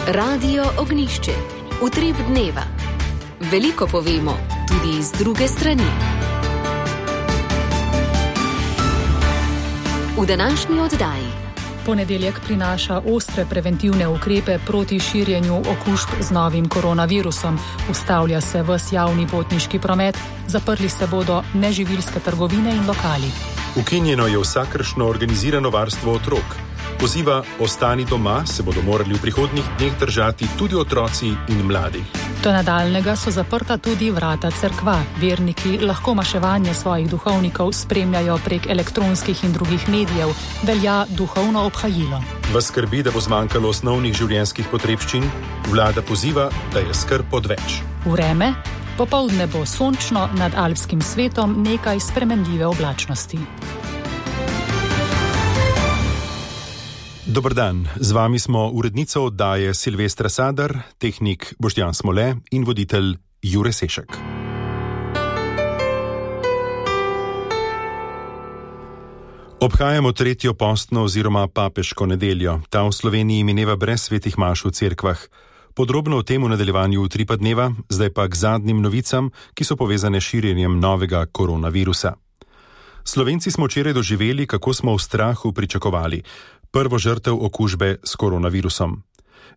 Radio Ognjišče. Utrip dneva. Veliko povemo, tudi z druge strani. V današnji oddaji. Ponedeljek prinaša ostre preventivne ukrepe proti širjenju okužb z novim koronavirusom. Ustavlja se ves javni potniški promet, zaprli se bodo neživilske trgovine in lokali. Ukinjeno je vsakršno organizirano varstvo otrok. Poziva ostani doma se bodo morali v prihodnjih dneh držati tudi otroci in mladi. Do nadaljnega so zaprta tudi vrata cerkva. Verniki lahko maševanje svojih duhovnikov spremljajo prek elektronskih in drugih medijev, velja duhovno obhajilo. V skrbi, da bo zmanjkalo osnovnih življenjskih potrebščin, vlada poziva, da je skrb odveč. Vreme? Popoldne bo sončno, nad alpskim svetom nekaj spremenljive oblačnosti. Dober dan, z vami smo urednica oddaje Silvestra Sadar, tehnik Boštjan Smole in voditelj Jure Sešek. Obhajamo tretjo postno oziroma papeško nedeljo. Ta v Sloveniji mineva brez svetih maš v cerkvah. Podrobno o tem v nadaljevanju utripa dneva, zdaj pa k zadnjim novicam, ki so povezane s širjenjem novega koronavirusa. Slovenci smo včeraj doživeli, kako smo v strahu pričakovali prvo žrtev okužbe s koronavirusom.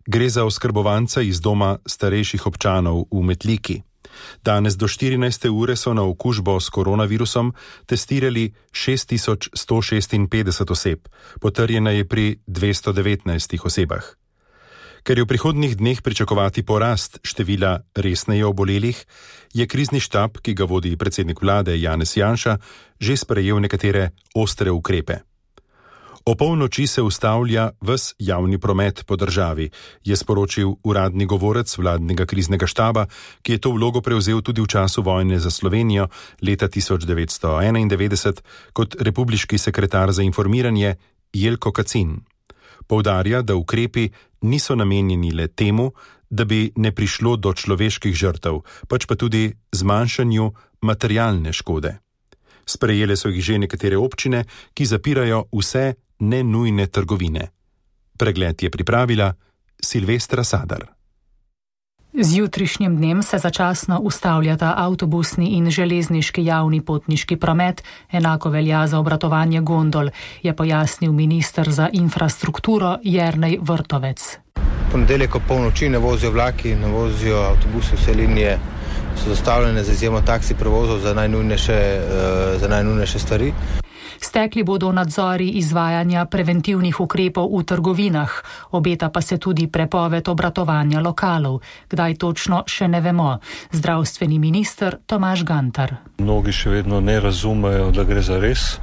Gre za oskrbovanca iz doma starejših občanov v Metliki. Danes do 14. ure so na okužbo s koronavirusom testirali 6156 oseb, potrjena je pri 219 osebah. Ker je v prihodnjih dneh pričakovati porast števila resneje obolelih, je krizni štab, ki ga vodi predsednik vlade Janez Janša, že sprejel nekatere ostre ukrepe. O polnoči se ustavlja ves javni promet po državi, je sporočil uradni govorec vladnega kriznega štaba, ki je to vlogo prevzel tudi v času vojne za Slovenijo leta 1991 kot republiški sekretar za informiranje Jelko Kacin. Poudarja, da ukrepi niso namenjeni le temu, da bi ne prišlo do človeških žrtev, pač pa tudi zmanjšanju materialne škode. Sprejele so jih že nekatere občine, ki zapirajo vse nenujne trgovine. Pregled je pripravila Silvestra Sadar. Z jutrišnjim dnem se začasno ustavljata avtobusni in železniški javni potniški promet, enako velja za obratovanje gondol, je pojasnil minister za infrastrukturo Jernej Vrtovec. Ponedeljek ob polnoči ne vozijo vlaki, ne vozijo avtobusi, vse linije so zastavljene za izjemo taksi prevozov za najnujnejše stvari. Stekli bodo nadzori izvajanja preventivnih ukrepov v trgovinah, obeta pa se tudi prepoved obratovanja lokalov. Kdaj točno, še ne vemo. Zdravstveni minister Tomaž Gantar. Mnogi še vedno ne razumejo, da gre za res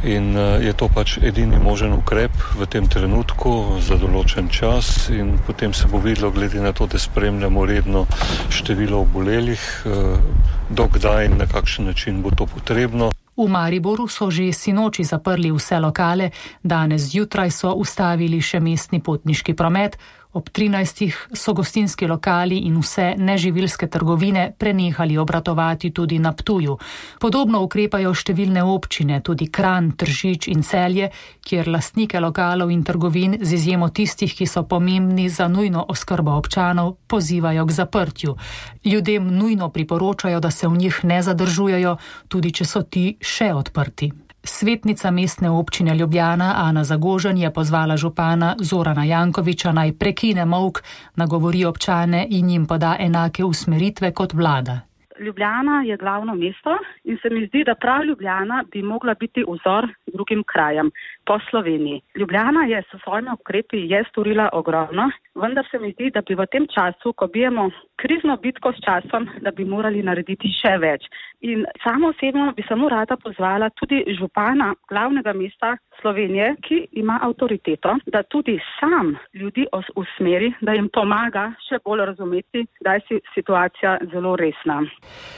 in je to pač edini možen ukrep v tem trenutku za določen čas in potem se bo videlo, glede na to, da spremljamo redno število obolelih, dokdaj in na kakšen način bo to potrebno. V Mariboru so že sinoči zaprli vse lokale, danes zjutraj so ustavili še mestni potniški promet, ob 13. so gostinski lokali in vse neživilske trgovine prenehali obratovati tudi na Ptuju. Podobno ukrepajo številne občine, tudi Kranj, Tržič in Celje, kjer lastnike lokalov in trgovin z izjemo tistih, ki so pomembni za nujno oskrbo občanov, pozivajo k zaprtju. Ljudem nujno priporočajo, da se v njih ne zadržujejo, tudi če so ti še odprti. Svetnica mestne občine Ljubljana Ana Zagožen je pozvala župana Zorana Jankovića naj prekine molk, nagovori občane in jim poda enake usmeritve kot vlada. Ljubljana je glavno mesto in se mi zdi, da prav Ljubljana bi mogla biti vzor drugim krajem po Sloveniji. Ljubljana je s svojimi ukrepi storila ogromno, vendar se mi zdi, da bi v tem času, ko bijemo krizno bitko s časom, da bi morali narediti še več. In samo osebno bi samo rada pozvala tudi župana glavnega mesta Slovenije, ki ima avtoriteto, da tudi sam ljudi usmeri, da jim pomaga še bolj razumeti, da je situacija zelo resna.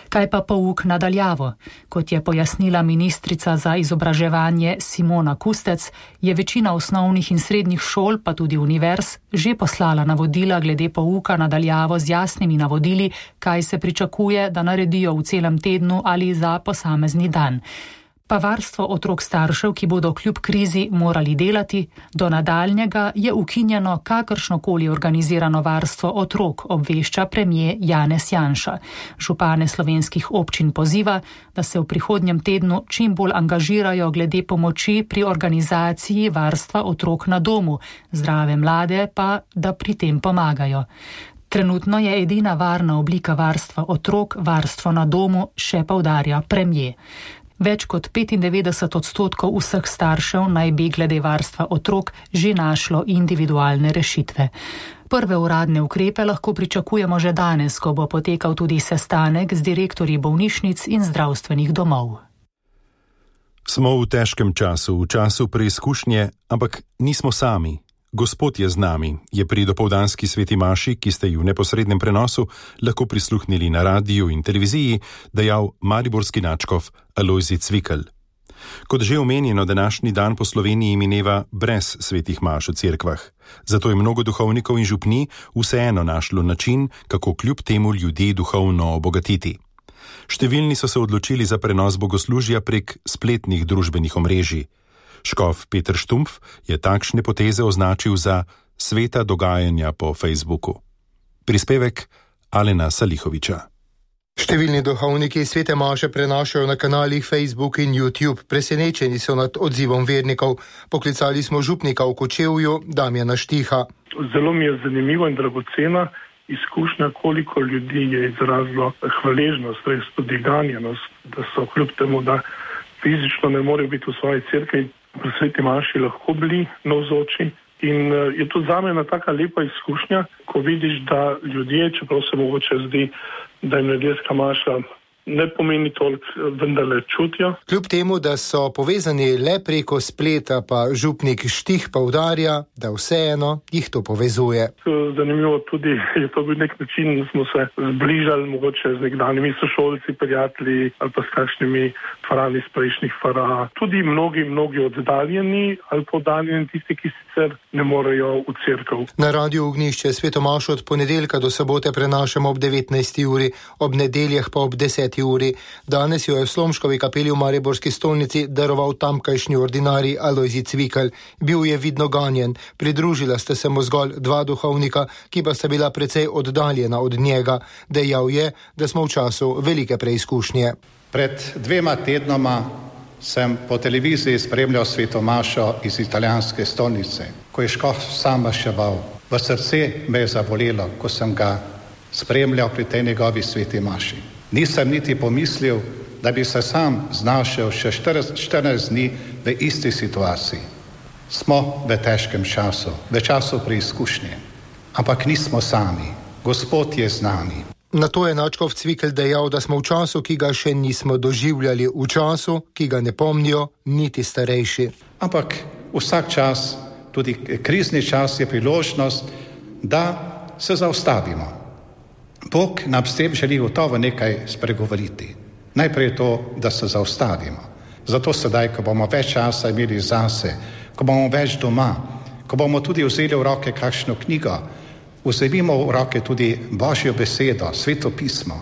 Kaj pa pouk nadaljavo? Kot je pojasnila ministrica za izobraževanje Simona Kustec, je večina osnovnih in srednjih šol, pa tudi univerz, že poslala navodila glede pouka nadaljavo z jasnimi navodili, kaj se pričakuje, da naredijo v celem tednu ali za posamezni dan. pa varstvo otrok staršev, ki bodo kljub krizi morali delati, do nadaljnjega je ukinjeno kakršnokoli organizirano varstvo otrok, obvešča premier Janez Janša. Župane slovenskih občin poziva, da se v prihodnjem tednu čim bolj angažirajo glede pomoči pri organizaciji varstva otrok na domu, zdrave mlade pa, da pri tem pomagajo. Trenutno je edina varna oblika varstva otrok varstvo na domu, še poudarja premier. Več kot 95% vseh staršev naj bi glede varstva otrok že našlo individualne rešitve. Prve uradne ukrepe lahko pričakujemo že danes, ko bo potekal tudi sestanek z direktorji bolnišnic in zdravstvenih domov. Smo v težkem času, v času preizkušnje, ampak nismo sami. Gospod je z nami, je pri dopoldanski sveti maši, ki ste ji v neposrednem prenosu lahko prisluhnili na radiju in televiziji, dejal mariborski nadškof Alojzij Cvikl. Kot že omenjeno, današnji dan po Sloveniji mineva brez svetih maš v cerkvah. Zato je mnogo duhovnikov in župni vseeno našlo način, kako kljub temu ljudi duhovno obogatiti. Številni so se odločili za prenos bogoslužja prek spletnih družbenih omrežij. Škof Peter Štumpf je takšne poteze označil za sveta dogajanja po Facebooku. Prispevek Alena Salihoviča. Številni duhovniki svete maše prenašajo na kanalih Facebook in YouTube. Presenečeni so nad odzivom vernikov. Poklicali smo župnika v Kočevju, Damjana Štiha. Zelo mi je zanimivo in dragocena izkušnja, koliko ljudi je izrazilo hvaležnost, res tudi ganjenost, da so kljub temu, da fizično ne morejo biti v svoji cerkvi, pri sveti maši lahko bili navzoči. In je to zame ena taka lepa izkušnja, ko vidiš, da ljudje, čeprav se mogoče zdi, da jim nedeljska maša ne pomeni toliko, vendarle čutijo. Kljub temu, da so povezani le preko spleta, pa župnik Štih poudarja, da vseeno jih to povezuje. Zanimivo tudi je to bil nek način, da smo se zbližali mogoče z nekdanjimi sošolci, prijatelji ali pa s kakšnimi farani iz prejšnjih fara. Tudi mnogi oddaljeni ali pa oddaljeni tisti, ki sicer ne morejo v cerkev. Na Radiu Ognjišče sveto mašo od ponedeljka do sobote prenašamo ob 19. uri, ob nedeljah pa ob 10. uri. Danes jo je v Slomškovi kapeli v mariborski stolnici daroval tamkajšnji ordinarij Alojzij Cvikl. Bil je vidno ganjen, pridružila sta se mu zgolj dva duhovnika, ki pa sta bila precej oddaljena od njega. Dejal je, da smo v času velike preizkušnje. Pred 2 tednoma sem po televiziji spremljal sveto mašo iz italijanske stolnice, ko je škof sam maševal. V srce me je zabolelo, ko sem ga spremljal pri tej njegovi sveti maši. Nisem niti pomislil, da bi se sam znašel še 14 dni v isti situaciji. Smo v težkem času, v času preizkušnje, ampak nismo sami. Gospod je z nami. Na to je nadškof Cvikl dejal, da smo v času, ki ga še nismo doživljali, v času, ki ga ne pomnijo niti starejši. Ampak vsak čas, tudi krizni čas, je priložnost, da se zaustavimo. Bog nam s tem želi gotovo nekaj spregovoriti. Najprej to, da se zaustavimo. Zato sedaj, ko bomo več časa imeli zase, ko bomo več doma, ko bomo tudi vzeli v roke kakšno knjigo, vzemimo v roke tudi Božjo besedo, sveto pismo,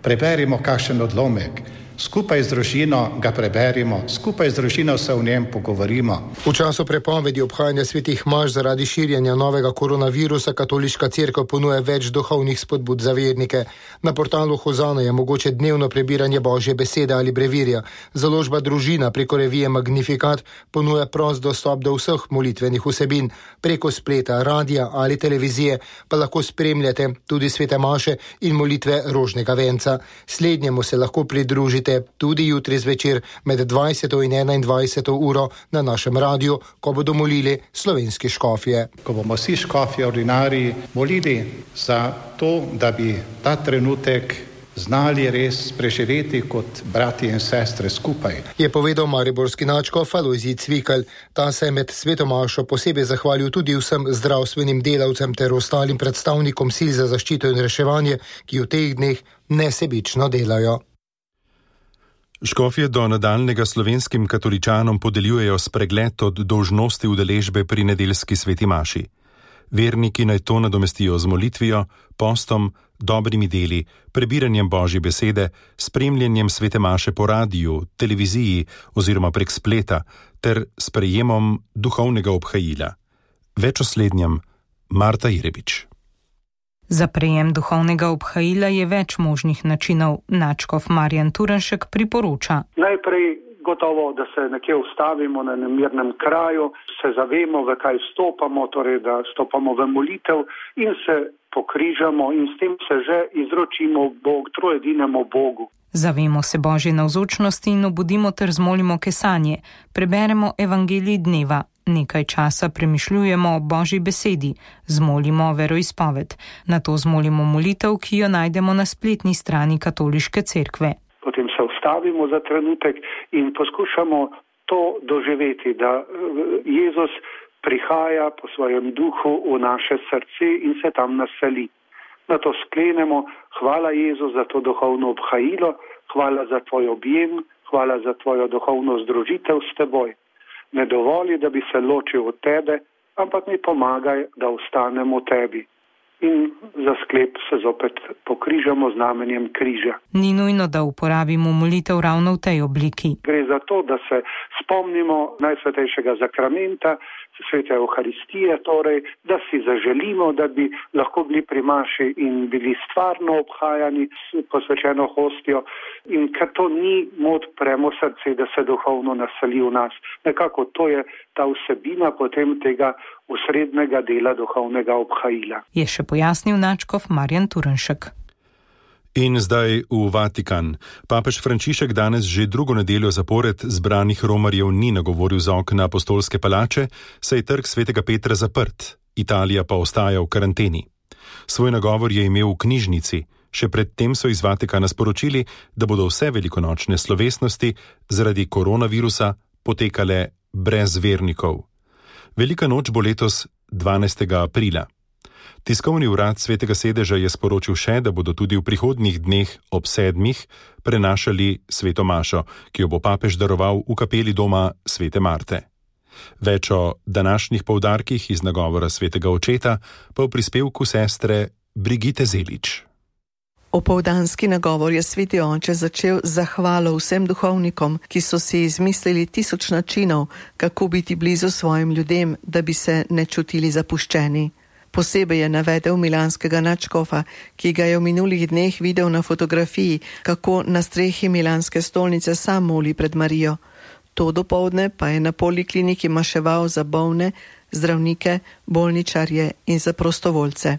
preberimo kakšen odlomek, skupaj z družino ga preberimo, skupaj z družino se v njem pogovorimo. V času prepovedi obhajanja svetih maš zaradi širjenja novega koronavirusa katoliška cerkev ponuja več duhovnih spodbud za vernike. Na portalu Hozana je mogoče dnevno prebiranje Božje besede ali brevirja. Založba Družina preko revije Magnifikat ponuja prost dostop do vseh molitvenih vsebin. Preko spleta, radija ali televizije pa lahko spremljate tudi svete maše in molitve rožnega venca. Slednjemu se lahko pridružite tudi jutri zvečer med 20. in 21. uro na našem radiju, ko bodo molili slovenski škofje. Ko bomo vsi škofje ordinariji molili za to, da bi ta trenutek znali res preživeti kot brati in sestre skupaj. Je povedal mariborski nadškof Alojzij Cvikl. Ta se je med sveto mašo posebej zahvalil tudi vsem zdravstvenim delavcem ter ostalim predstavnikom sil za zaščito in reševanje, ki v teh dneh nesebično delajo. Škofje do nadaljnega slovenskim katoličanom podeljujejo spregled od dolžnosti udeležbe pri nedeljski sveti maši. Verniki naj to nadomestijo z molitvijo, postom, dobrimi deli, prebiranjem Božje besede, spremljanjem svete maše po radiju, televiziji oziroma prek spleta ter sprejemom duhovnega obhajila. Več o slednjem Marta Irebič. Za prejem duhovnega obhajila je več možnih načinov. Nadškof Marjan Turnšek priporoča. Najprej gotovo, da se nekje ustavimo na nemirnem kraju, se zavemo, v kaj vstopamo, torej da stopamo v molitev in se pokrižamo in s tem se že izročimo trojedinemu Bogu. Zavemo se Božje navzočnosti in obudimo ter zmolimo kesanje. Preberemo evangelij dneva. Nekaj časa premišljujemo o Božji besedi, zmolimo veroizpoved. Nato zmolimo molitev, ki jo najdemo na spletni strani Katoliške cerkve. Potem se ustavimo za trenutek in poskušamo to doživeti, da Jezus prihaja po svojem duhu v naše srce in se tam naseli. Nato sklenemo: hvala Jezus za to duhovno obhajilo, hvala za tvoj objem, hvala za tvojo duhovno združitev s teboj. Ne dovoli, da bi se ločil od tebe, ampak mi pomagaj, da ostanem v tebi. In za sklep se zopet pokrižamo znamenjem križa. Ni nujno, da uporabimo molitev ravno v tej obliki. Gre za to, da se spomnimo najsvetejšega zakramenta, svete Evharistije, torej, da si zaželimo, da bi lahko bili pri maši in bili stvarno obhajani s posvečeno hostijo, in ker to ni, mu odpremo srce, da se duhovno naseli v nas. Nekako to je ta vsebina potem tega osrednjega dela duhovnega obhajila. Je še pojasnil nadškof Marjan Turnšek. In zdaj v Vatikan. Papež Frančišek danes že drugo nedeljo zapored zbranih romarjev ni nagovoril z okna Apostolske palače, saj je trg svetega Petra zaprt, Italija pa ostaja v karanteni. Svoj nagovor je imel v knjižnici, še predtem so iz Vatikana sporočili, da bodo vse velikonočne slovesnosti zaradi koronavirusa potekale brez vernikov. Velika noč bo letos 12. aprila. Tiskovni urad Svetega sedeža je sporočil še, da bodo tudi v prihodnjih dneh ob 7. prenašali sveto mašo, ki jo bo papež daroval v kapeli doma Svete Marte. Več o današnjih poudarkih iz nagovora svetega očeta pa v prispevku sestre Brigitte Zelič. Opoldanski nagovor je sveti oče začel z zahvalo vsem duhovnikom, ki so si izmislili 1000 načinov, kako biti blizu svojim ljudem, da bi se ne čutili zapuščeni. Posebej je navedel milanskega nadškofa, ki ga je v minulih dneh videl na fotografiji, kako na strehi milanske stolnice sam moli pred Marijo. To dopoldne pa je na polikliniki maševal za bolne, zdravnike, bolničarje in za prostovoljce.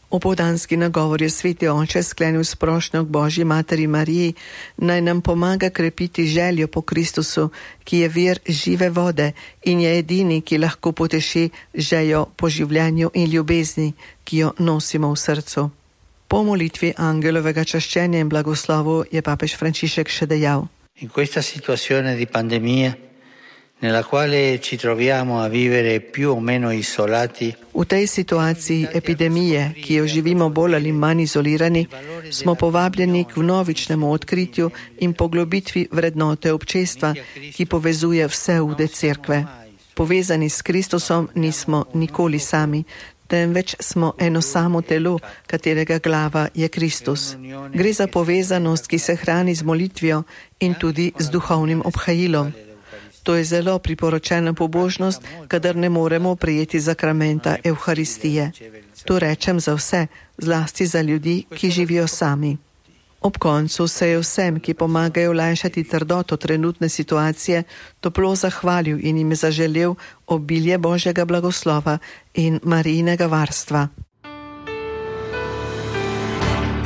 Opoldanski nagovor je sveti oče sklenil s prošnjo k Božji materi Mariji, naj nam pomaga krepiti željo po Kristusu, ki je vir žive vode in je edini, ki lahko poteši željo po življenju in ljubezni, ki jo nosimo v srcu. Po molitvi angelovega čaščenja in blagoslovu je papež Frančišek še dejal: In questa situazione di pandemia nella quale ci troviamo a vivere più o meno isolati. V tej situaciji epidemije, ki jo živimo bolj ali manj izolirani, smo povabljeni k vnovičnemu odkritju in poglobitvi vrednote občestva, ki povezuje vse ude cerkve. Povezani s Kristusom nismo nikoli sami, temveč smo eno samo telo, katerega glava je Kristus. Gre za povezanost, ki se hrani z molitvijo in tudi z duhovnim obhajilom. To je zelo priporočena pobožnost, kadar ne moremo prejeti zakramenta Evharistije. To rečem za vse, zlasti za ljudi, ki živijo sami. Ob koncu se je vsem, ki pomagajo olajšati trdoto trenutne situacije, toplo zahvalil in jim zaželel obilje Božjega blagoslova in Marijinega varstva.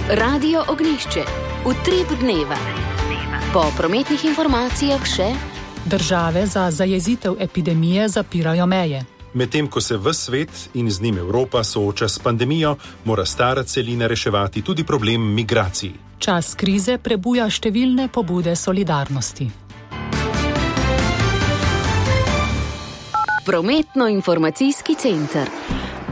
Radio Ognjišče, utrip dneva. Po prometnih informacijah še: države za zajezitev epidemije zapirajo meje. Medtem ko se ves svet in z njim Evropa sooča s pandemijo, mora stara celina reševati tudi problem migracij. Čas krize prebuja številne pobude solidarnosti. Prometno-informacijski center.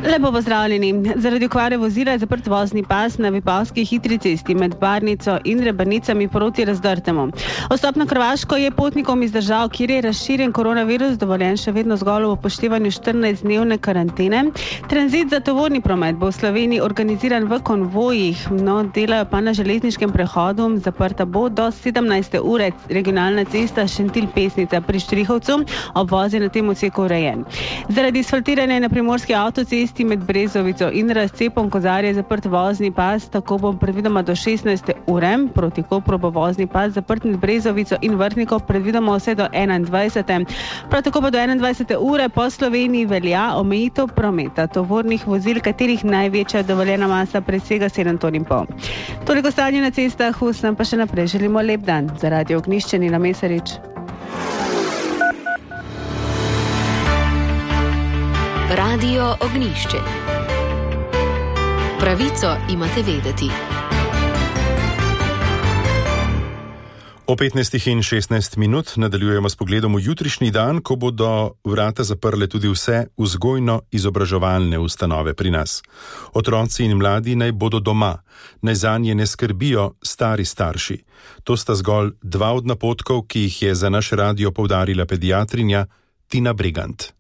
Lepo pozdravljeni. Zaradi okvare vozila je zaprt vozni pas na Vipavski hitri cesti med Barnico in Rebanicami proti Razdrtemu. Vstop na Hrvaško je potnikom iz držav, kjer je razširjen koronavirus, dovoljen še vedno zgolj v upoštevanju 14-dnevne karantene. Tranzit za tovorni promet bo v Sloveniji organiziran v konvojih, delajo pa na železniškem prehodu. Zaprta bo do 17. ure regionalna cesta Šentilj-Pesnica pri Štrihovcu, obvoz je na tem odseku urejen. Zaradi asfaltiranja na primorski avtocesti med Brezovico in Razcepom Kozarje je zaprt vozni pas, tako bo predvidoma do 16. ure. Proti Kopru bo vozni pas zaprt med Brezovico in Vrhnikom predvidoma vse do 21. Prav tako pa do 21. ure po Sloveniji velja omejitev prometa tovornih vozil, katerih največja dovoljena masa presega 7,5 ton. Toliko stanje na cestah, vsem pa še naprej želimo lep dan. Za Radio Ognjišče Nina Mesarič. Radio Ognjišče. Pravico imate vedeti. O 15:16 nadaljujemo s pogledom v jutrišnji dan, ko bodo vrata zaprle tudi vse vzgojno-izobraževalne ustanove pri nas. Otroci in mladi naj bodo doma, naj zanje ne skrbijo stari starši. To sta zgolj dva od napotkov, ki jih je za naš radio poudarila pediatrinja Tina Bregant.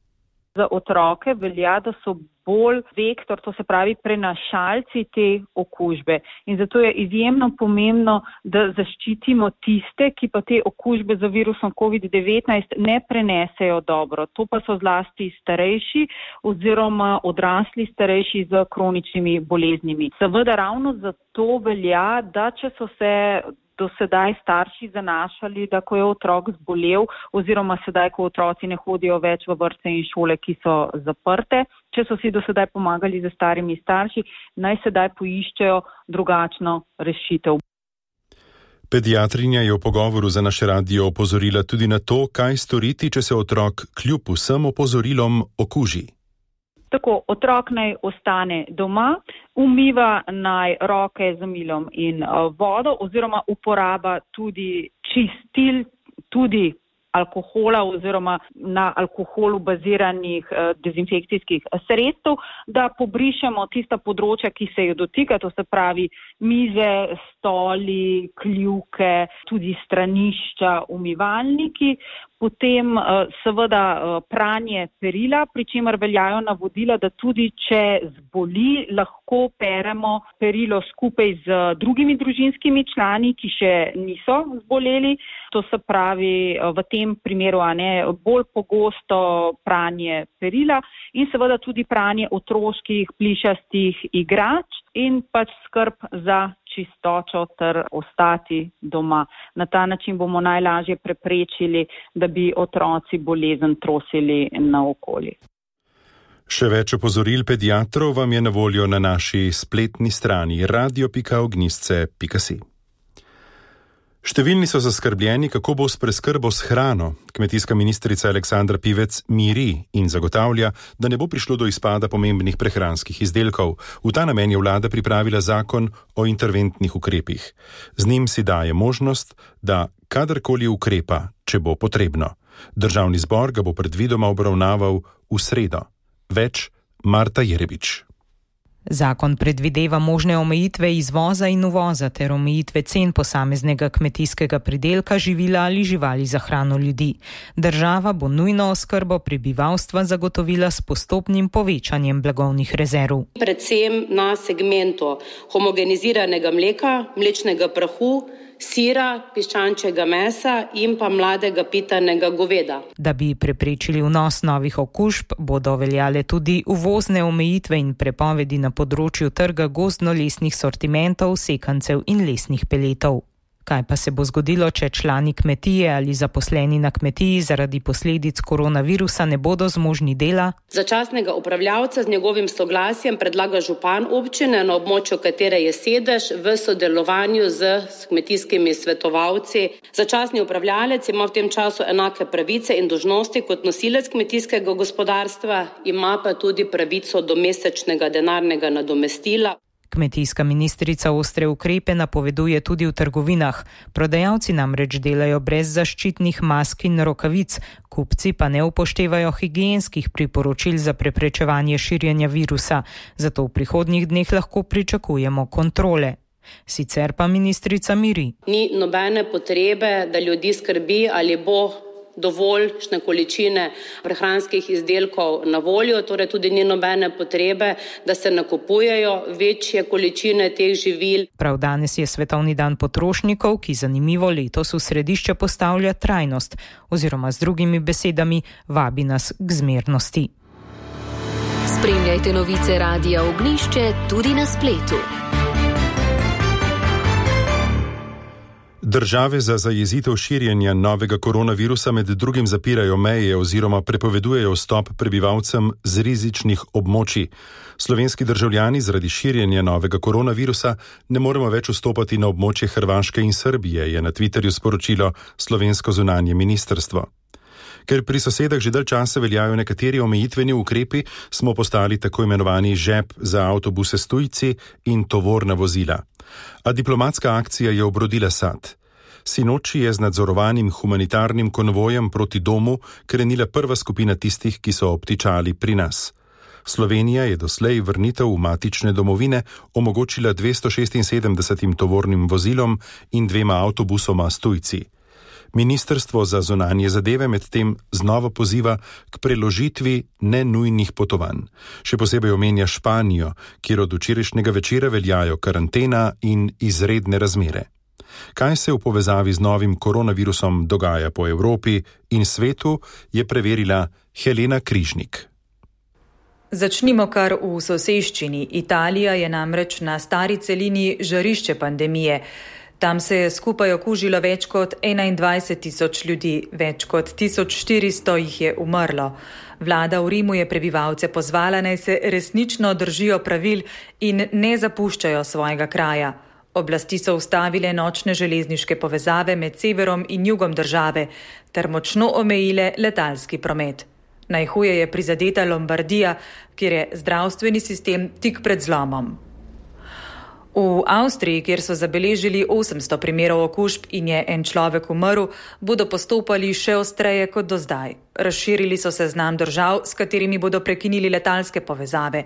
Za otroke velja, da so bolj vektor, to se pravi prenašalci te okužbe. In zato je izjemno pomembno, da zaščitimo tiste, ki pa te okužbe z virusom COVID-19 ne prenesejo dobro. To pa so zlasti starejši oziroma odrasli starejši z kroničnimi boleznimi. Seveda ravno zato velja, da če so se do sedaj starši zanašali, da ko je otrok zbolel oziroma sedaj, ko otroci ne hodijo več v vrtce in šole, ki so zaprte, če so si do sedaj pomagali z starimi starši, naj sedaj poiščejo drugačno rešitev. Pediatrinja je v pogovoru za naš radio opozorila tudi na to, kaj storiti, če se otrok kljub vsem opozorilom okuži. Tako, otrok naj ostane doma, umiva naj roke z milom in vodo oziroma uporaba tudi čistil, tudi alkohola oziroma na alkoholu baziranih dezinfekcijskih sredstev, da pobrišemo tista področja, ki se jo dotika, to se pravi mize, stoli, kljuke, tudi stranišča, umivalniki. Potem seveda pranje perila, pri čemer veljajo navodila, da tudi če zboli, lahko peremo perilo skupaj z drugimi družinskimi člani, ki še niso zboleli. To se pravi v tem primeru bolj pogosto pranje perila in seveda tudi pranje otroških plišastih igrač in pač skrb za čistočo ter ostati doma. Na ta način bomo najlažje preprečili, da bi otroci bolezen trosili naokoli. Še več opozoril pediatrov vam je na voljo na naši spletni strani radio.ognjišče.si. Številni so zaskrbljeni, kako bo s preskrbo s hrano. Kmetijska ministrica Aleksandra Pivec miri in zagotavlja, da ne bo prišlo do izpada pomembnih prehranskih izdelkov. V ta namen je vlada pripravila zakon o interventnih ukrepih. Z njim si daje možnost, da kadarkoli ukrepa, če bo potrebno. Državni zbor ga bo predvidoma obravnaval v sredo. Več Marta Jerebič. Zakon predvideva možne omejitve izvoza in uvoza ter omejitve cen posameznega kmetijskega pridelka, živila ali živali za hrano ljudi. Država bo nujno oskrbo prebivalstva zagotovila s postopnim povečanjem blagovnih rezerv. Predvsem na segmentu homogeniziranega mleka, mlečnega prahu, sira, piščančjega mesa in pa mladega pitanega goveda. Da bi preprečili vnos novih okužb, bodo veljale tudi uvozne omejitve in prepovedi na področju trga gozdno-lesnih sortimentov, sekancev in lesnih peletov. Kaj pa se bo zgodilo, če člani kmetije ali zaposleni na kmetiji zaradi posledic koronavirusa ne bodo zmožni dela? Začasnega upravljavca z njegovim soglasjem predlaga župan občine, na območju katere je sedež, v sodelovanju z kmetijskimi svetovalci. Začasni upravljalec ima v tem času enake pravice in dolžnosti kot nosilec kmetijskega gospodarstva, ima pa tudi pravico do mesečnega denarnega nadomestila. Kmetijska ministrica ostre ukrepe napoveduje tudi v trgovinah. Prodajalci namreč delajo brez zaščitnih mask in rokavic, kupci pa ne upoštevajo higienskih priporočil za preprečevanje širjenja virusa, zato v prihodnjih dneh lahko pričakujemo kontrole. Sicer pa ministrica miri. Ni nobene potrebe, da ljudi skrbi, ali bo dovoljšne količine prehranskih izdelkov na voljo, torej tudi ni nobene potrebe, da se nakupujejo večje količine teh živil. Prav danes je Svetovni dan potrošnikov, ki zanimivo letos v središče postavlja trajnost, oziroma z drugimi besedami vabi nas k zmernosti. Spremljajte novice Radia Ognjišče tudi na spletu. Države za zajezitev širjenja novega koronavirusa med drugim zapirajo meje oziroma prepovedujejo vstop prebivalcem z rizičnih območij. Slovenski državljani zaradi širjenja novega koronavirusa ne moremo več vstopati na območje Hrvaške in Srbije, je na Twitterju sporočilo slovensko zunanje ministrstvo. Ker pri sosedah že dalj časa veljajo nekateri omejitveni ukrepi, smo postali tako imenovani žep za avtobuse s tujci in tovorna vozila. A diplomatska akcija je obrodila sad. Sinoči je z nadzorovanim humanitarnim konvojem proti domu krenila prva skupina tistih, ki so obtičali pri nas. Slovenija je doslej vrnitev v matične domovine omogočila 276 tovornim vozilom in 2 avtobusoma s tujci. Ministrstvo za zunanje zadeve medtem znova poziva k preložitvi nenujnih potovanj. Še posebej omenja Španijo, kjer od včerajšnjega večera veljajo karantena in izredne razmere. Kaj se v povezavi z novim koronavirusom dogaja po Evropi in svetu, je preverila Helena Križnik. Začnimo kar v soseščini. Italija je namreč na stari celini žarišče pandemije. Tam se je skupaj okužilo več kot 21.000 ljudi, več kot 1400 jih je umrlo. Vlada v Rimu je prebivalce pozvala, naj se resnično držijo pravil in ne zapuščajo svojega kraja. Oblasti so ustavile nočne železniške povezave med severom in jugom države ter močno omejile letalski promet. Najhuje je prizadeta Lombardija, kjer je zdravstveni sistem tik pred zlomom. V Avstriji, kjer so zabeležili 800 primerov okužb in je en človek umrl, bodo postopali še ostreje kot do zdaj. Razširili so seznam držav, s katerimi bodo prekinili letalske povezave.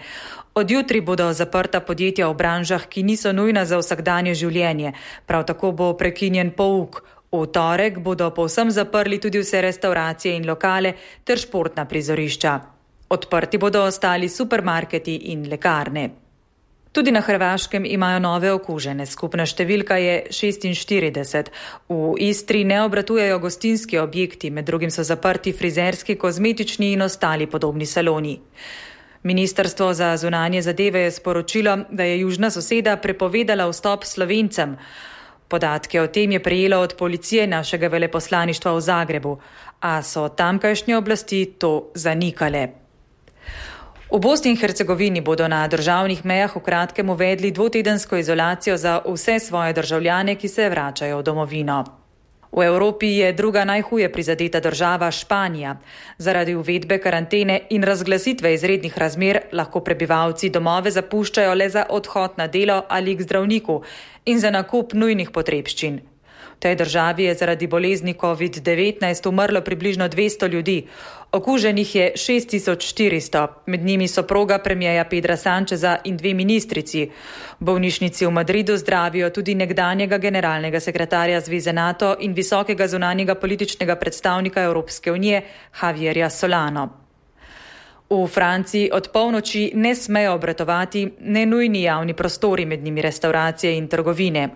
Od jutri bodo zaprta podjetja v branžah, ki niso nujna za vsakdanje življenje. Prav tako bo prekinjen pouk. V torek bodo povsem zaprli tudi vse restauracije in lokale ter športna prizorišča. Odprti bodo ostali supermarketi in lekarne. Tudi na Hrvaškem imajo nove okužene. Skupna številka je 46. V Istri ne obratujejo gostinski objekti, med drugim so zaprti frizerski, kozmetični in ostali podobni saloni. Ministrstvo za zunanje zadeve je sporočilo, da je južna soseda prepovedala vstop Slovencem. Podatke o tem je prejelo od policije našega veleposlaništva v Zagrebu, a so tamkajšnje oblasti to zanikale. V Bosni in Hercegovini bodo na državnih mejah v kratkem uvedli 2-tedensko izolacijo za vse svoje državljane, ki se vračajo v domovino. V Evropi je druga najhuje prizadeta država Španija. Zaradi uvedbe karantene in razglasitve izrednih razmer lahko prebivalci domove zapuščajo le za odhod na delo ali k zdravniku in za nakup nujnih potrebščin. V tej državi je zaradi bolezni COVID-19 umrlo približno 200 ljudi. Okuženih je 6400, med njimi soproga premierja Pedra Sancheza in 2 ministrici. V bolnišnici v Madridu zdravijo tudi nekdanjega generalnega sekretarja Zveze NATO in visokega zunanjega političnega predstavnika Evropske unije Javierja Solano. V Franciji od polnoči ne smejo obratovati nenujni javni prostori, med njimi restauracije in trgovine.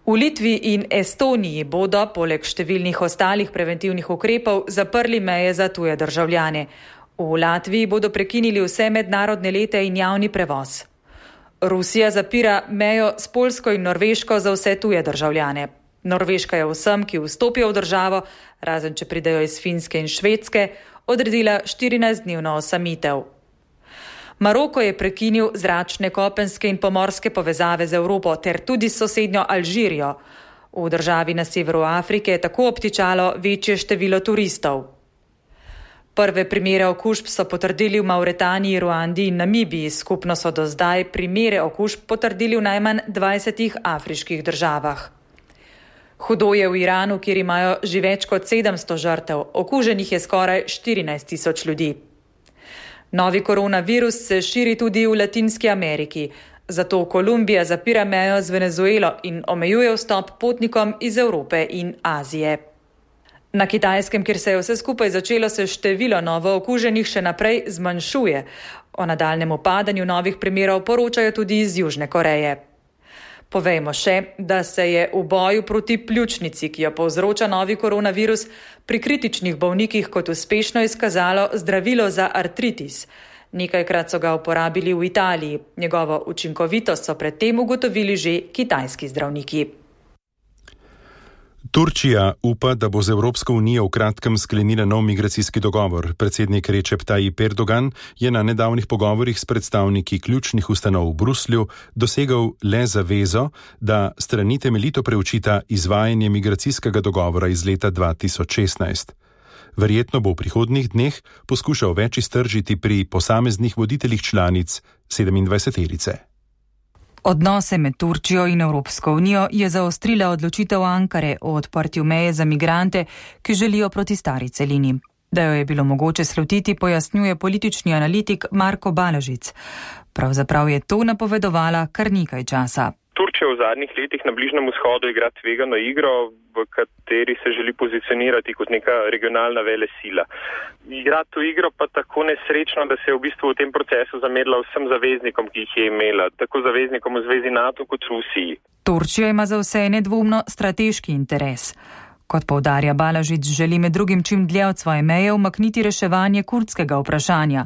V Litvi in Estoniji bodo, poleg številnih ostalih preventivnih ukrepov, zaprli meje za tuje državljane. V Latviji bodo prekinili vse mednarodne lete in javni prevoz. Rusija zapira mejo s Poljsko in Norveško za vse tuje državljane. Norveška je vsem, ki vstopijo v državo, razen če pridejo iz Finske in Švedske, odredila 14-dnevno osamitev. Maroko je prekinil zračne, kopenske in pomorske povezave z Evropo ter tudi s sosednjo Alžirijo. V državi na severu Afrike je tako obtičalo večje število turistov. Prve primere okužb so potrdili v Mauretaniji, Ruandi in Namibiji. Skupno so do zdaj primere okužb potrdili v najmanj 20 afriških državah. Hudo je v Iranu, kjer imajo že več kot 700 žrtev. Okuženih je skoraj 14 000 ljudi. Novi koronavirus se širi tudi v Latinski Ameriki. Zato Kolumbija zapira mejo z Venezuelo in omejuje vstop potnikom iz Evrope in Azije. Na Kitajskem, kjer se je vse skupaj začelo, se število novo okuženih še naprej zmanjšuje. O nadaljnjem upadanju novih primerov poročajo tudi iz Južne Koreje. Povejmo še, da se je v boju proti pljučnici, ki jo povzroča novi koronavirus, pri kritičnih bolnikih kot uspešno izkazalo zdravilo za artritis. Nekajkrat so ga uporabili v Italiji. Njegovo učinkovitost so predtem ugotovili že kitajski zdravniki. Turčija upa, da bo z Evropsko unijo v kratkem sklenila nov migracijski dogovor. Predsednik Recep Tayyip Erdogan je na nedavnih pogovorih s predstavniki ključnih ustanov v Bruslju dosegal le zavezo, da strani temeljito preučita izvajanje migracijskega dogovora iz leta 2016. Verjetno bo v prihodnjih dneh poskušal več iztržiti pri posameznih voditeljih članic 27-terice. Odnose med Turčijo in Evropsko unijo je zaostrila odločitev Ankare o odprtju meje za migrante, ki želijo proti stari celini. Da jo je bilo mogoče slutiti, pojasnjuje politični analitik Marko Balažic. Pravzaprav je to napovedovala kar nekaj časa. Turčija v zadnjih letih na Bližnjem vzhodu igra tvegano igro, v kateri se želi pozicionirati kot neka regionalna velesila. Igra to igro pa tako nesrečno, da se je v bistvu v tem procesu zamerila vsem zaveznikom, ki jih je imela, tako zaveznikom v Zvezi NATO kot Rusiji. Turčija ima za vse nedvomno strateški interes. Kot poudarja Balažic, želi med drugim čim dlje od svoje meje umakniti reševanje kurdskega vprašanja.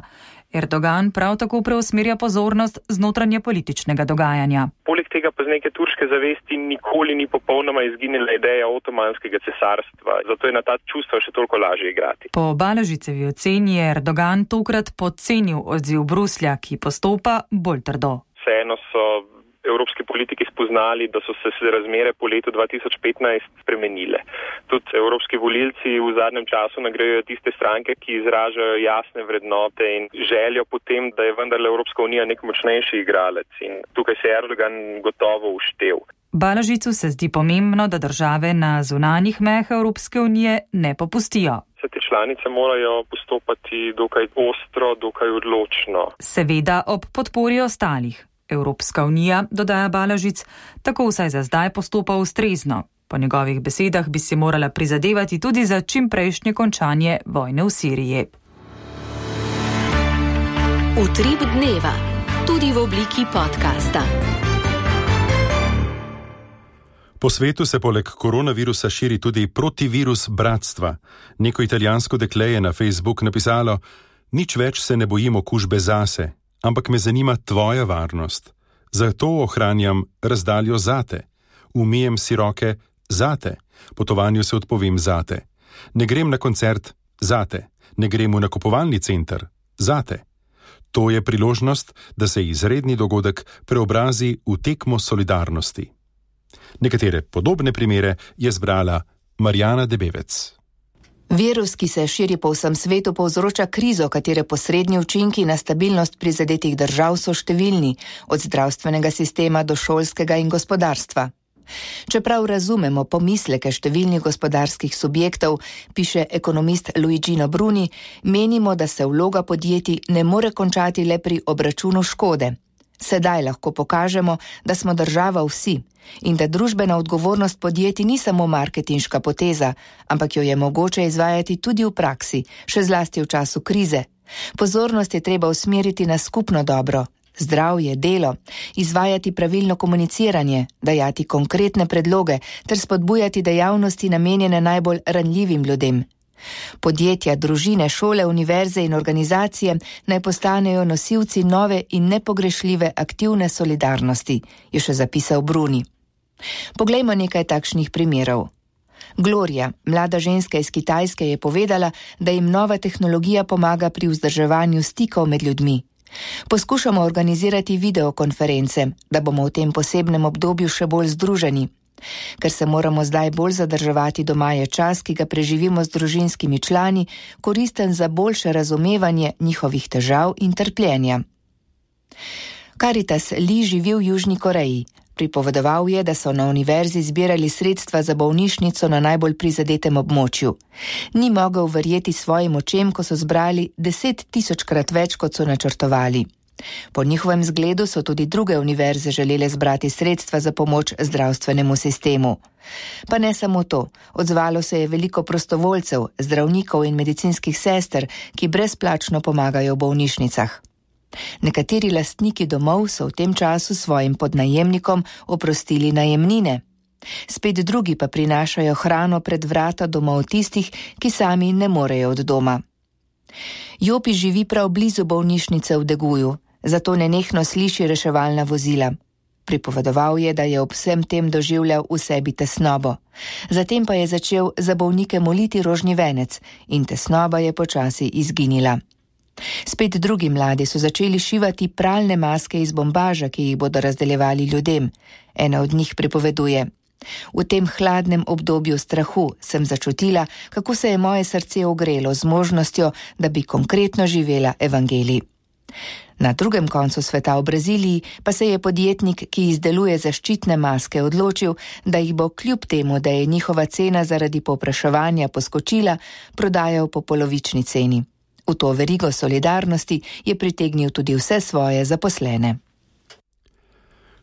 Erdogan prav tako preusmerja pozornost z notranje političnega dogajanja. Poleg tega pa z neke turške zavesti nikoli ni popolnoma izginila ideja otomanskega cesarstva, zato je na ta čustva še toliko lažje igrati. Po Balažicevi oceni je Erdogan tokrat podcenil odziv Bruslja, ki postopa bolj trdo. Vseeno so evropski politiki spoznali, da so se razmere po letu 2015 spremenile. Tudi evropski volilci v zadnjem času nagrajujejo tiste stranke, ki izražajo jasne vrednote in željo potem, da je vendarle Evropska unija nek močnejši igralec. In tukaj se je Erdogan gotovo uštel. Balažicu se zdi pomembno, da države na zunanjih mejah Evropske unije ne popustijo. Vse te članice morajo postopati dokaj ostro, dokaj odločno. Seveda ob podpori ostalih. Evropska unija, dodaja Balažic, tako vsaj za zdaj postopa ustrezno. Po njegovih besedah bi si morala prizadevati tudi za čimprejšnje končanje vojne v Siriji. Utrip dneva, tudi v obliki podcasta. Po svetu se poleg koronavirusa širi tudi protivirus bratstva. Neko italijansko dekle je na Facebook napisalo: "Nič več se ne bojim okužbe zase, ampak me zanima tvoja varnost. Zato ohranjam razdaljo zate. Umijem si roke zate. Potovanju se odpovem zate. Ne grem na koncert zate. Ne grem v nakupovalni center zate." To je priložnost, da se izredni dogodek preobrazi v tekmo solidarnosti. Nekatere podobne primere je zbrala Marjana Debevec. Virus, ki se širi po vsem svetu, povzroča krizo, katere posrednji učinki na stabilnost prizadetih držav so številni, od zdravstvenega sistema do šolskega in gospodarstva. Čeprav razumemo pomisleke številnih gospodarskih subjektov, piše ekonomist Luigino Bruni, menimo, da se vloga podjetij ne more končati le pri obračunu škode. Sedaj lahko pokažemo, da smo država vsi in da družbena odgovornost podjetij ni samo marketinška poteza, ampak jo je mogoče izvajati tudi v praksi, še zlasti v času krize. Pozornost je treba usmeriti na skupno dobro, zdravje, delo, izvajati pravilno komuniciranje, dajati konkretne predloge ter spodbujati dejavnosti namenjene najbolj ranljivim ljudem. Podjetja, družine, šole, univerze in organizacije naj postanejo nosilci nove in nepogrešljive aktivne solidarnosti, je še zapisal Bruni. Poglejmo nekaj takšnih primerov. Gloria, mlada ženska iz Kitajske, je povedala, da jim nova tehnologija pomaga pri vzdrževanju stikov med ljudmi. Poskušamo organizirati videokonference, da bomo v tem posebnem obdobju še bolj združeni. Ker se moramo zdaj bolj zadrževati doma, je čas, ki ga preživimo z družinskimi člani, koristen za boljše razumevanje njihovih težav in trpljenja. Caritas Li živi v Južni Koreji. Pripovedoval je, da so na univerzi zbirali sredstva za bolnišnico na najbolj prizadetem območju. Ni mogel verjeti svojim očem, ko so zbrali 10 000-krat več, kot so načrtovali. Po njihovem zgledu so tudi druge univerze želele zbrati sredstva za pomoč zdravstvenemu sistemu. Pa ne samo to, odzvalo se je veliko prostovoljcev, zdravnikov in medicinskih sester, ki brezplačno pomagajo v bolnišnicah. Nekateri lastniki domov so v tem času svojim podnajemnikom oprostili najemnine. Spet drugi pa prinašajo hrano pred vrata domov tistih, ki sami ne morejo od doma. Jopi živi prav blizu bolnišnice v Deguju, zato nenehno sliši reševalna vozila. Pripovedoval je, da je ob vsem tem doživljal v sebi tesnobo. Zatem pa je začel za bolnike moliti rožni venec in tesnoba je počasi izginila. Spet drugi mladi so začeli šivati pralne maske iz bombaža, ki jih bodo razdeljevali ljudem. Ena od njih pripoveduje: V tem hladnem obdobju strahu sem začutila, kako se je moje srce ogrelo z možnostjo, da bi konkretno živela evangelij. Na drugem koncu sveta v Braziliji pa se je podjetnik, ki izdeluje zaščitne maske, odločil, da jih bo kljub temu, da je njihova cena zaradi povpraševanja poskočila, prodajal po polovični ceni. V to verigo solidarnosti je pritegnil tudi vse svoje zaposlene.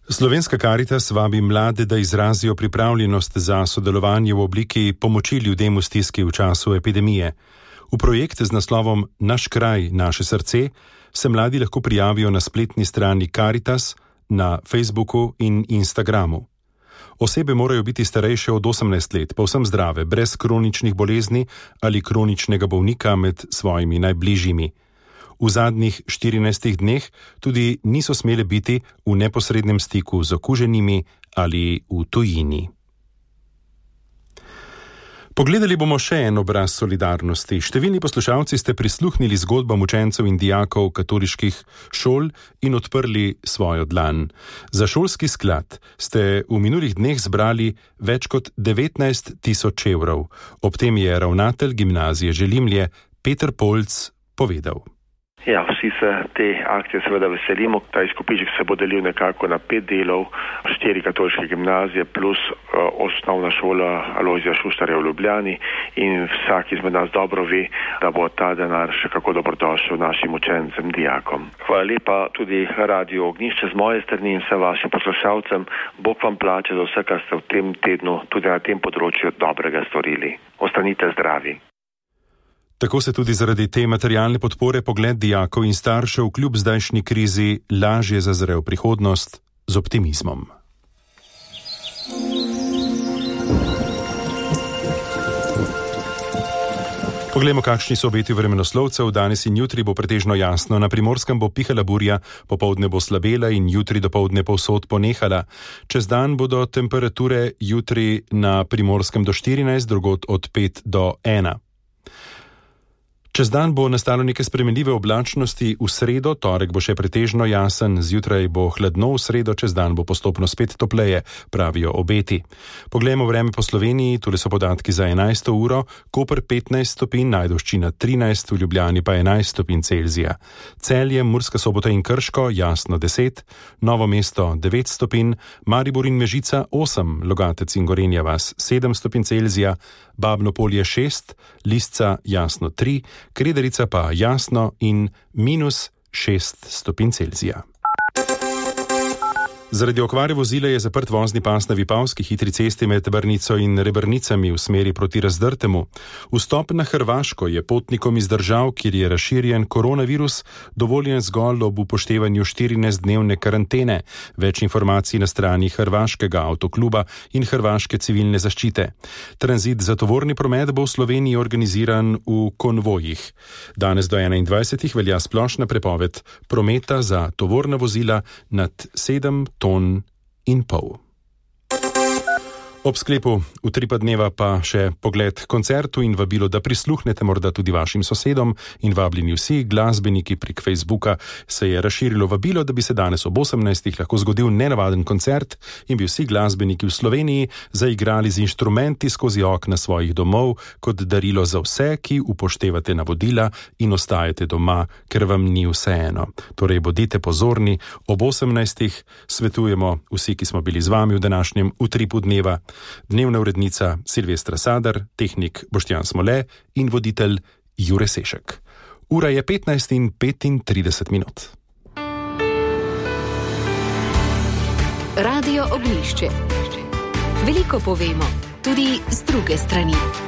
Slovenska Caritas vabi mlade, da izrazijo pripravljenost za sodelovanje v obliki pomoči ljudem v stiski v času epidemije. V projekt z naslovom Naš kraj, naše srce se mladi lahko prijavijo na spletni strani Caritas, na Facebooku in Instagramu. Osebe morajo biti starejše od 18 let, povsem zdrave, brez kroničnih bolezni ali kroničnega bolnika med svojimi najbližjimi. V zadnjih 14 dneh tudi niso smele biti v neposrednem stiku z okuženimi ali v tujini. Pogledali bomo še en obraz solidarnosti. Številni poslušalci ste prisluhnili zgodbam učencev in dijakov katoliških šol in odprli svojo dlan. Za šolski sklad ste v minulih dneh zbrali več kot 19 000 evrov. Ob tem je ravnatelj gimnazije Želimlje Peter Polc povedal. Ja, vsi se te akcije seveda veselimo. Ta izkupiček se bo delil nekako na 5 delov, 4 katoliške gimnazije plus osnovna šola Alojzija Šuštarja v Ljubljani in vsak izmed nas dobro ve, da bo ta denar še kako dobrodošel našim učencem, dijakom. Hvala lepa tudi Radio Ognjišče z moje strani in vsem vašim poslušalcem. Bog vam plače za vse, kar ste v tem tednu tudi na tem področju dobrega storili. Ostanite zdravi. Tako se tudi zaradi te materialne podpore pogled dijakov in staršev kljub zdajšnji krizi lažje zazre v prihodnost z optimizmom. Poglejmo, kakšni so obeti vremenoslovcev. Danes in jutri bo pretežno jasno. Na Primorskem bo pihala burja, popoldne bo slabela in jutri dopoldne povsod ponehala. Čez dan bodo temperature jutri na Primorskem do 14, drugod od 5 do 1. Čez dan bo nastalo neke spremenljive oblačnosti, v sredo, torek bo še pretežno jasen, zjutraj bo hladno, v sredo, čez dan bo postopno spet topleje, pravijo obeti. Poglejmo vreme po Sloveniji, tule so podatki za 11. uro, Koper 15 stopinj, Ajdovščina 13, v Ljubljani pa 11 stopinj Celzija. Celje, Murska Sobota in Krško, jasno 10, Novo mesto 9 stopinj, Maribor in Mežica 8, Logatec in Gorenja vas 7 stopinj Celzija, Babno Polje 6, Lisca jasno 3, Krederica pa jasno in minus 6 stopinj Celzija. Zaradi okvare vozila je zaprt vozni pas na Vipavski hitri cesti med Brnico in Rebrnicami v smeri proti Razdrtemu. Vstop na Hrvaško je potnikom iz držav, kjer je razširjen koronavirus, dovoljen zgolj ob upoštevanju 14-dnevne karantene. Več informacij na strani Hrvaškega avtokluba in Hrvaške civilne zaščite. Tranzit za tovorni promet bo v Sloveniji organiziran v konvojih. Danes do 21. velja splošna prepoved prometa za tovorna vozila nad 7 ton in pol. Ob sklepu Utripa dneva pa še pogled koncertu in vabilo, da prisluhnete morda tudi vašim sosedom, in vabljeni vsi glasbeniki prek Facebooka. Se je razširilo vabilo, da bi se danes ob 18. lahko zgodil nenavaden koncert in bi vsi glasbeniki v Sloveniji zaigrali z inštrumenti skozi okna svojih domov kot darilo za vse, ki upoštevate navodila in ostajate doma, ker vam ni vseeno. Torej bodite pozorni, ob 18. svetujemo vsi, ki smo bili z vami v današnjem Utripu dneva. Dnevna urednica Silvestra Sadar, tehnik Boštjan Smole in voditelj Jure Sešek. Ura je 15:35. Radio Oglišče. Veliko povemo, tudi z druge strani.